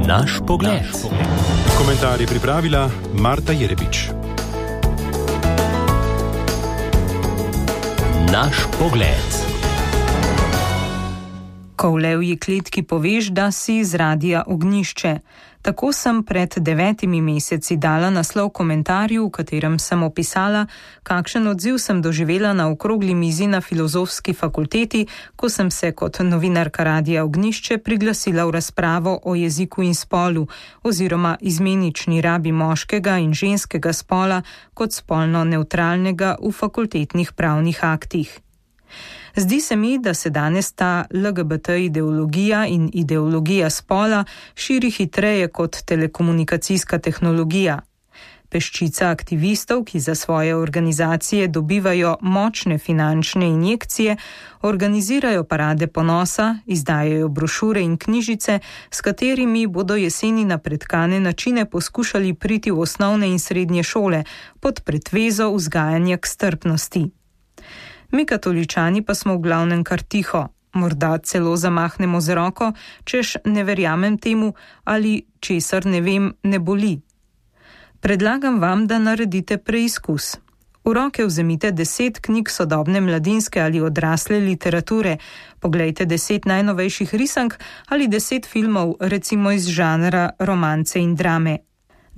Naš pogled. Komentar je pripravila Marta Jerebič. Naš pogled. Ko v levji kletki poveš, da si z Radia Ognjišče. Tako sem pred 9 meseci dala naslov komentarju, v katerem sem opisala, kakšen odziv sem doživela na okrogli mizi na Filozofski fakulteti, ko sem se kot novinarka Radia Ognjišče priglasila v razpravo o jeziku in spolu oziroma izmenični rabi moškega in ženskega spola kot spolno nevtralnega v fakultetnih pravnih aktih. Zdi se mi, da se danes ta LGBT ideologija in ideologija spola širi hitreje kot telekomunikacijska tehnologija. Peščica aktivistov, ki za svoje organizacije dobivajo močne finančne injekcije, organizirajo parade ponosa, izdajajo brošure in knjižice, s katerimi bodo jeseni na pretkane načine poskušali priti v osnovne in srednje šole pod pretvezo vzgajanja k strpnosti. Mi katoličani pa smo v glavnem kar tiho, morda celo zamahnemo z roko, češ ne verjamem temu ali česar ne vem, ne boli. Predlagam vam, da naredite preizkus. V roke vzemite 10 knjig sodobne mladinske ali odrasle literature, poglejte 10 najnovejših risank ali 10 filmov, recimo iz žanra romance in drame.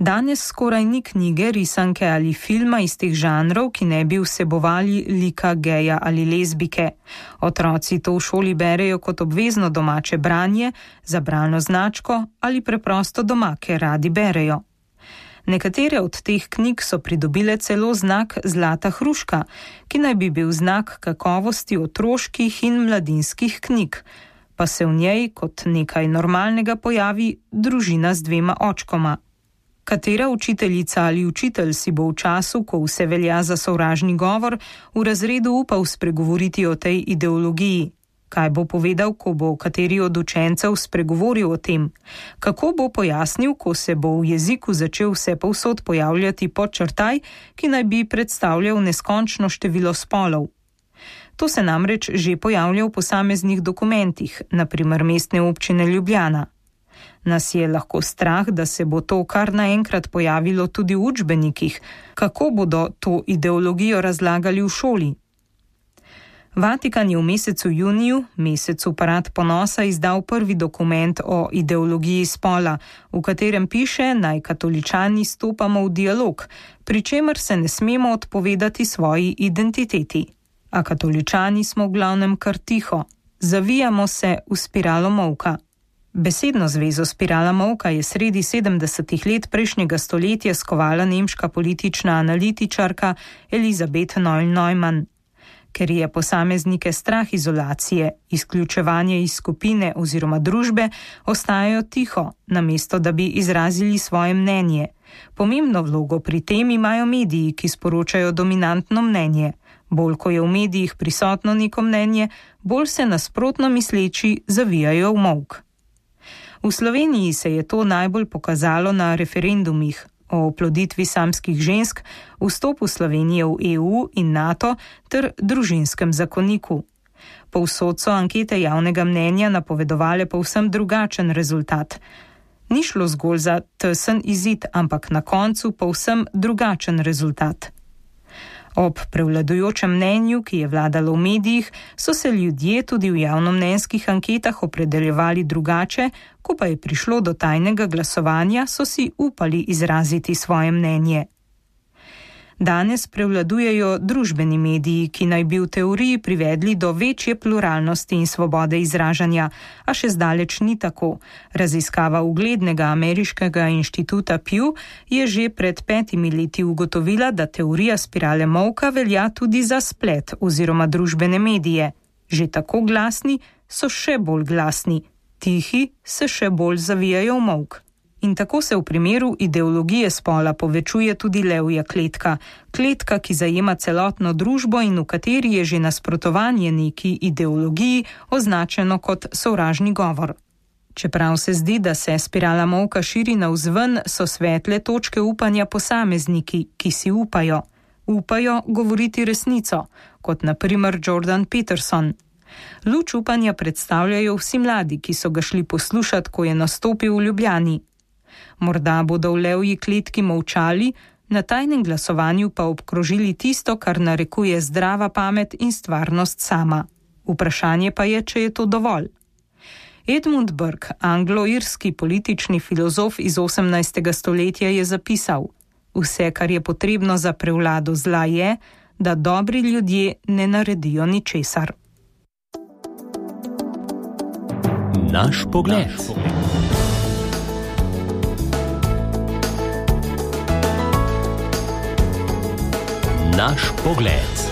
Danes skoraj ni knjige, risanke ali filma iz teh žanrov, ki ne bi vsebovali lika geja ali lezbike. Otroci to v šoli berejo kot obvezno domače branje, za bralno značko ali preprosto doma, ker radi berejo. Nekatere od teh knjig so pridobile celo znak Zlata hruška, ki naj bi bil znak kakovosti otroških in mladinskih knjig, pa se v njej kot nekaj normalnega pojavi družina z 2 očkoma. Katera učiteljica ali učitelj si bo v času, ko vse velja za sovražni govor, v razredu upal spregovoriti o tej ideologiji? Kaj bo povedal, ko bo kateri od učencev spregovoril o tem? Kako bo pojasnil, ko se bo v jeziku začel vse povsod pojavljati podčrtaj, ki naj bi predstavljal neskončno število spolov? To se namreč že pojavlja v posameznih dokumentih, na primer Mestne občine Ljubljana. Nas je lahko strah, da se bo to kar naenkrat pojavilo tudi v učbenikih. Kako bodo to ideologijo razlagali v šoli? Vatikan je v mesecu juniju, mesecu Parad ponosa, izdal prvi dokument o ideologiji spola, v katerem piše, naj katoličani stopamo v dialog, pri čemer se ne smemo odpovedati svoji identiteti. A katoličani smo v glavnem kar tiho. Zavijamo se v spiralo molka. Besedno zvezo spirala molka je sredi 70. let prejšnjega stoletja skovala nemška politična analitičarka Elisabeth Noll-Neumann. Ker je posameznike strah izolacije, izključevanje iz skupine oziroma družbe, ostajajo tiho, namesto da bi izrazili svoje mnenje. Pomembno vlogo pri tem imajo mediji, ki sporočajo dominantno mnenje. Bolj ko je v medijih prisotno neko mnenje, bolj se nasprotno misleči zavijajo v molk. V Sloveniji se je to najbolj pokazalo na referendumih o oploditvi samskih žensk, vstopu Slovenije v EU in NATO ter družinskem zakoniku. Povsod so ankete javnega mnenja napovedovale povsem drugačen rezultat. Ni šlo zgolj za tesen izid, ampak na koncu povsem drugačen rezultat. Ob prevladujočem mnenju, ki je vladalo v medijih, so se ljudje tudi v javnomnenjskih anketah opredeljevali drugače, ko pa je prišlo do tajnega glasovanja, so si upali izraziti svoje mnenje. Danes prevladujejo družbeni mediji, ki naj bi v teoriji privedli do večje pluralnosti in svobode izražanja, a še zdaleč ni tako. Raziskava uglednega ameriškega inštituta Pew je že pred 5 leti ugotovila, da teorija spirale molka velja tudi za splet oziroma družbene medije. Že tako glasni so še bolj glasni, tihi se še bolj zavijajo v molk. In tako se v primeru ideologije spola povečuje tudi levja kletka, kletka, ki zajema celotno družbo in v kateri je že nasprotovanje neki ideologiji označeno kot sovražni govor. Čeprav se zdi, da se spirala molka širi navzven, so svetle točke upanja posamezniki, ki si upajo govoriti resnico, kot na primer Jordan Peterson. Luč upanja predstavljajo vsi mladi, ki so ga šli poslušati, ko je nastopil v Ljubljani. Morda bodo v levji kletki molčali, na tajnem glasovanju pa obkrožili tisto, kar narekuje zdrava pamet in stvarnost sama. Vprašanje pa je, če je to dovolj. Edmund Burke, anglo-irski politični filozof iz 18. stoletja, je zapisal: vse, kar je potrebno za prevlado zla, je, da dobri ljudje ne naredijo ničesar. Naš pogled. Naš pogled.